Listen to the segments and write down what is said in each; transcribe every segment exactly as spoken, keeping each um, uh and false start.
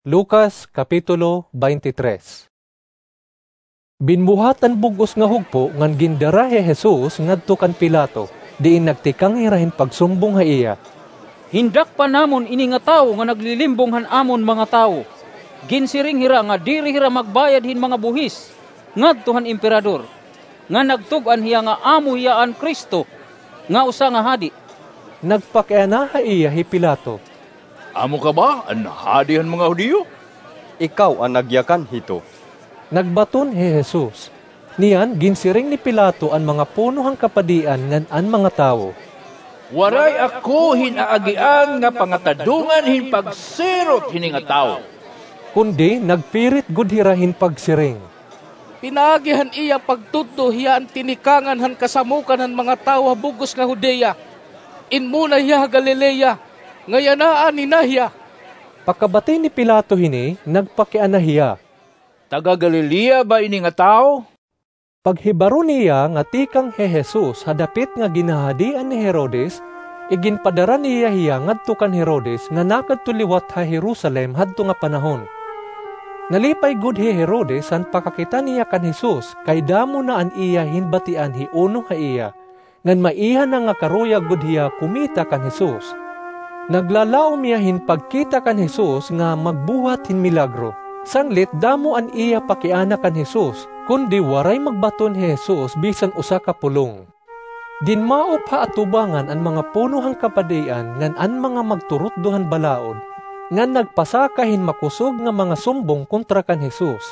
Lucas, Kapitulo twenty-three. Binbuhat an bug-os nga hugpo ngan gindara hi Jesus ngadto kan Pilato, diin nagtikang hira hin pagsumbong ha iya. Hindakpan namon ini nga tawo nga naglilimbong han amon mga tawo. Ginsiring hira nga diri hira magbayad hin mga buhis ngadto han Emperador, nga nagtug-an hiya nga amo hiya an Cristo, nga usa nga hadi. Nagpakiana ha iya hi Pilato. Amo ka ba an hadi han mga Judio? Ikaw an nagyakan hito. Nagbaton hi Jesus. Niyan, ginsiring ni Pilato an mga puno han kapadian ngan an mga tawo. Waray ako hin aagian nga pangatadongan hin pagsirot hini nga tawo. Kundi nagpirit gud hira hin pagsiring. Pinaagi han iya pagtutdo hiya an tinikangan han kasamokan han mga tawo ha bug-os nga Judea. Inmuna hiya ha Galilea, nga yana anay na hiya. Pakabati ni Pilato hini, nagpakiana hiya. Taga-Galilea ba ini nga tawo? Paghibaro niya nga tikang hi Jesus ha dapit nga ginhahadian ni Herodes, iginpadara niya hiya ngadto kan Herodes nga nakadto liwat ha Jerusalem hadto nga panahon. Nalipay gud hi Herodes han pakakita niya kan Jesus, kay damo na an iya ginbatian hi Juan ha iya, ngan maiha na nga karuyag gud hiya kumita kan Jesus. Naglalaom hiya hin pagkita kan Jesus nga magbuhat hin milagro. Sanglit damo an iya pakiana kan Jesus, kundi waray magbaton hi Jesus bisan usa ka pulong. Dinmaop ha atubangan an mga puno han kapadian ngan an mga magturutdo han balaod, ngan nagpasaka hin makusog nga mga sumbong kontra kan Jesus.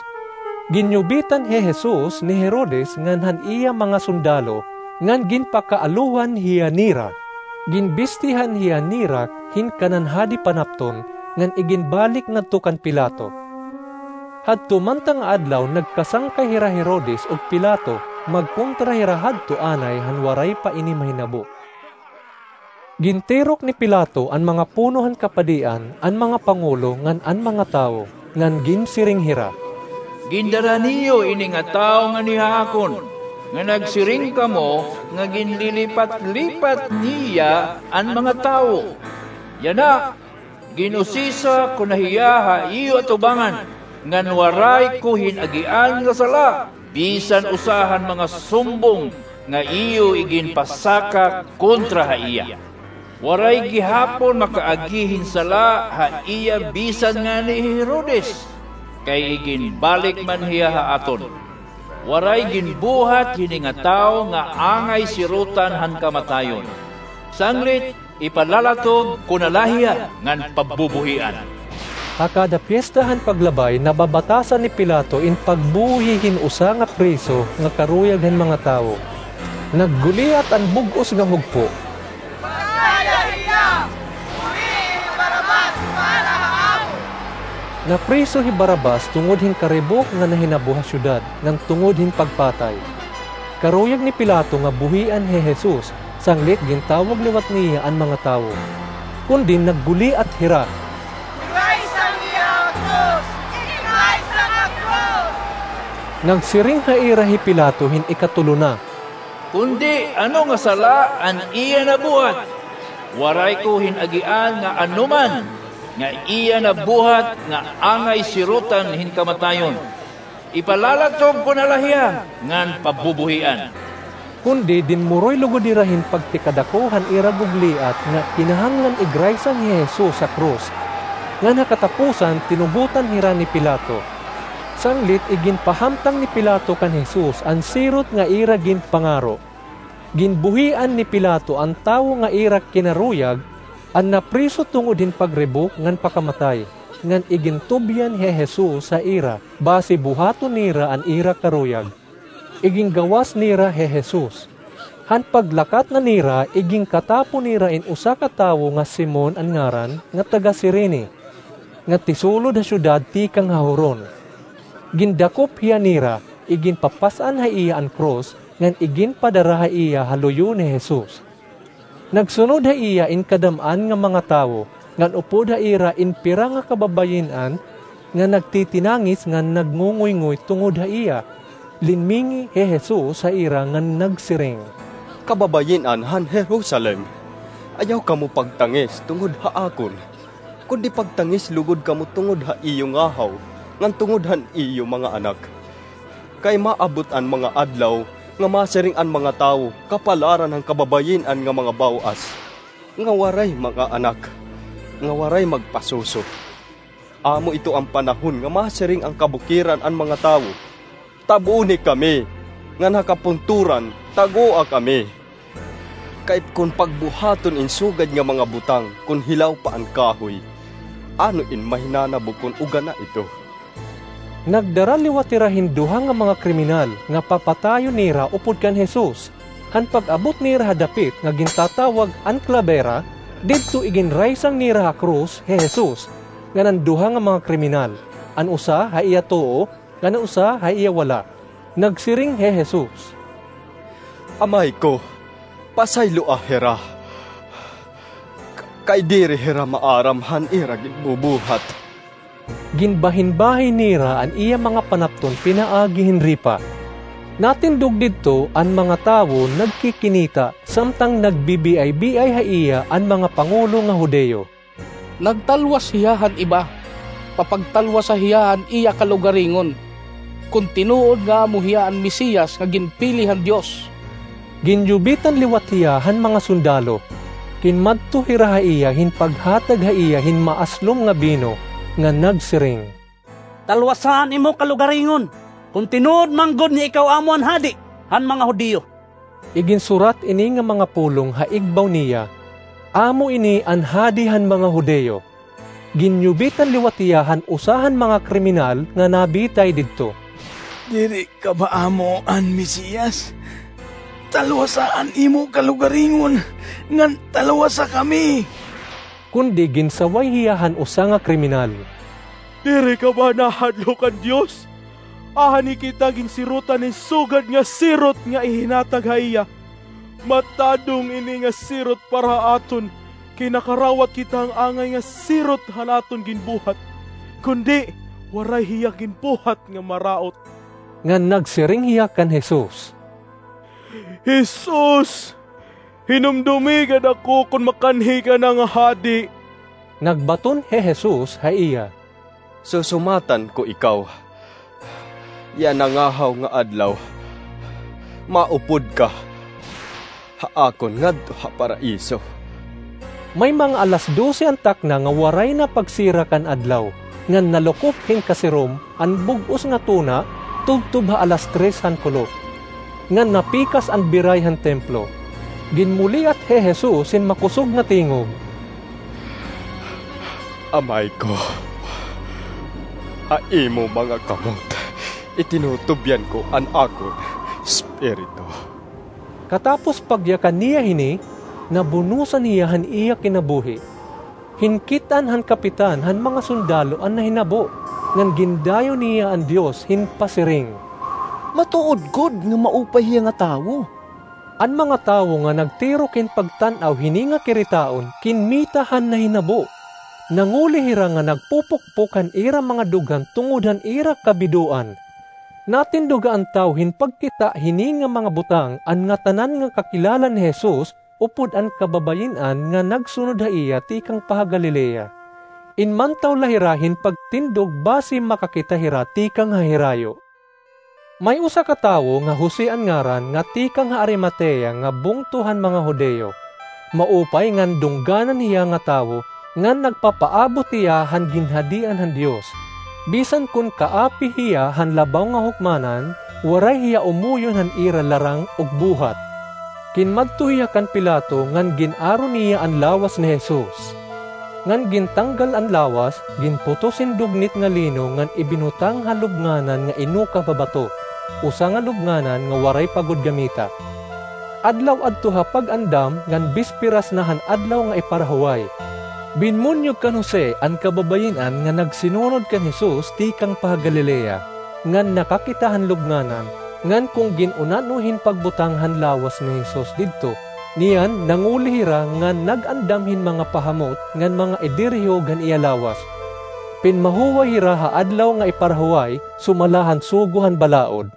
Ginyubitan hi Jesus ni Herodes ngan han iya mga sundalo, ngan ginpakaalohan hiya nira. Ginbistihan hiya nira hin kanan hadi panapton, ngan iginbalik ngadto kan Pilato. Hadto man ta nga adlaw nagkasangkay hira Herodes ug Pilato, magkontra hira hadto anay han waray pa ini mahinabo. Gintirok ni Pilato an mga puno han kapadian, an mga pangulo, ngan an mga tawo, ngan ginsiring hira. Gindara niyo ini nga tawo ngani ha akon, nga nagsiring kamo nga ginlilipat-lipat niya an mga tawo. Yana, gin-usisa ko na hiya ha iyo atubangan, ngan waray ko hin-agian nga sala bisan usa han mga sumbong nga iyo iginpasaka kontra ha iya. Waray gihapon makaagi hin sala ha iya bisan ngani hi Herodes, kay iginbalik man hiya ha aton. Waray ginbuhat hini nga tawo nga angay sirotan han kamatayon. Sanglit, ipalalatog ko na la hiya ngan pagbubuhian. Ha kada pyesta han paglabay, nababatasan ni Pilato in pagbuhi hin usa nga preso nga karuyag han mga tawo. Nagguliat an bug-os nga hugpo. Pagkaya hiya! Buhii hi Barabas para ha amon! Napriso hi Barabas tungod hin karibok nga nahinabo ha syudad, ngan tungod hin pagpatay. Karuyag ni Pilato nga buhian hi Jesus, sanglit gintawag liwat niya an mga tawo. Kundi nagguliat hira. Igraysang hiya ha krus! Igraysang ha krus! Nagsiring ha ira hi Pilato hin ikatulo na. Kundi ano nga sala an iya nabuhat? Waray ko hin-agian nga anoman nga iya nabuhat nga angay sirotan hin kamatayon. Ipalalatog ko na la hiya ngan pagbubuhian. Kundi dinmuroy lugod hira hin pagtikadako han ira gugliat nga kinahanglan igraysang hi Jesus ha krus. Ngan ha katapusan, tinubotan hira ni Pilato. Sanglit iginpahamtang ni Pilato kan Jesus an sirot nga ira ginpangaro. Ginbuhian ni Pilato an tawo nga ira kinaruyag, an napriso tungod hin pagribok ngan pakamatay, ngan igintubyan hi Jesus ha ira, basi buhaton nira an ira karuyag. Iginggawas nira hi Jesus. Han paglakat na nira, iginkatapo nira in usa ka tawo nga Simon an ngaran, nga taga-Cirene, nga tisulod ha syudad tikang ha huron. Gindakop hiya nira, iginpapas-an ha iya an krus, ngan iginpadara ha iya ha luyo ni Jesus. Nagsunod ha iya in kadam-an nga mga tawo, ngan upod ha ira in pira nga kababayin-an nga nagtitinangis ngan nagngungoyngoy tungod ha iya. Linmingi hi Jesus ha ira ngan nagsiring, Kababayin-an han Jerusalem, ayaw kamo pagtangis tungod ha akon. kundi pagtangis lugod kamo tungod ha iyo ngahaw, ngan tungod han iyo mga anak. Kay maabot an mga adlaw nga masiring an mga tawo kapalaran han kababayin-an nga mga baw-as, nga waray mga anak, nga waray magpasuso. Amo ito an panahon nga masiring an kabukiran an mga tawo, "Tabuni kami," ngan ha kapunturan, "Tagoa kami." Kay kon pagbuhaton in sugad nga mga butang kon hilaw pa an kahoy, ano in mahinanabo kon ugana ito? Nagdara liwat hira hin duha nga mga kriminal nga papatayon nira upod kan Jesus. Han pag-abot nira ha dapit nga gintatawag an Klabera, didto iginraysang nira ha krus hi Jesus ngan an duha nga mga kriminal, an usa ha iya tuo ngan an usa ha iya wala. Nagsiring hi Jesus, "Amay ko, pasayloa hira, k-, kay diri hira maaram han ira ginbubuhat." Ginbahinbahin nira an iya mga panapton pinaagi hin ripa. Natindog didto an mga tawo nagkikinita, samtang nagbibiay-biay ha iya an mga pangulo nga Judio. "Nagtalwas hiya han iba, papagtalwasa hiya han iya kalugaringon, kon tinuod nga amo hiya an Mesiyas nga ginpili han Dios." Ginyubitan liwat hiya han mga sundalo. Kinmadto hira ha iya hin paghatag ha iya hin maaslom nga bino, nga nagsiring, "Talwasa an imo kalugaringon, kon tinuod man gud nga ikaw amo an hadi han mga Judio." Iginsurat ini nga mga pulong ha igbaw niya, "Amo ini an hadi han mga Judio." Ginyubitan liwat hiya han usa han mga kriminal nga nabitay didto, "Diri ka ba amo an Mesiyas? Talwasa an imo kalugaringon, ngan talwasa kami." Kundi ginsaway hiya han usa nga kriminal, "Diri ka ba nahadlok kan Dios? Aha ini kita ginsirotan hin sugad nga sirot nga ihinatag ha iya? Matadong ini nga sirot para ha aton, kay nakarawat kita han angay nga sirot han aton ginbuhat, kundi waray hiya ginbuhat nga maraot." Ngan nagsiring hiya kan Jesus, "Jesus, hinumdomi gad ako kon makanhi ka na nga hadi." Nagbaton hi Jesus ha iya, "Susumatan ko ikaw, yana ngahaw nga adlaw, maupod ka ha akon ngadto ha Paraiso." May mga alas dose an takna nga waray na pagsirak an adlaw, ngan nalukop hin kasirom an bug-os nga tuna tubtob ha alas tres han kulop, ngan napikas an biray han templo. Ginmuliat hi Jesus hin makusog nga tingog, "Amay ko, ha imo mga kamot itinutubyan ko an akon espiritu." Katapos pagyakan niya hini, nabunosan hiya han iya kinabuhi. Hinkit-an han kapitan han mga sundalo an nahinabo, ngan gindayo niya an Dios hin pasiring, "Matuod gud nga maupay hiya nga tawo." An mga tawo nga nagtirok hin pagtan-aw hini nga kiritaon kinmita han nahinabo. Nanguli hira nga nagpupukpok han ira mga dughan tungod han ira kabidoan. Natindog an tawo hin pagkita hini nga mga butang, an ngatanan nga kakilala ni Jesus upod an kababayin-an nga nagsunod ha iya tikang pa ha Galilea. Inmantaw la hira hin pagtindog basi makakita hira tikang ha hirayo. May usa ka tawo nga Jose an ngaran nga tikang ha Arimatea nga bungto han mga Judio. Maupay ngan dungganan hiya nga tawo ngan nagpapaabot hiya han ginhadian han Dios. Bisan kon kaapi hiya han labaw nga hukmanan, waray hiya umuyon han ira larang ug buhat. Kinmadto hiya kan Pilato ngan gin-aro niya an lawas ni Jesus. Ngan gintanggal an lawas, ginputos hin dugnit nga lino ngan ibinutang ha lubnganan nga inukab ha bato, usa nga lubnganan nga waray pa gud gamita. Adlaw adto ha pag-andam ngan bisperas na han adlaw nga iparahuway. Binmunyog kan Jose an kababayin-an nga nagsinunod kan Jesus tikang pa ha Galilea, ngan nakakita han lubnganan, ngan kon gin-unan-o hin pagbutang han lawas ni Jesus didto. Niyan, nanguli hira ngan nag-andam hin mga pahamot ngan mga idirihog han iya lawas. Pinmahuway hira ha adlaw nga iparahuway, sumala han sugo han balaod.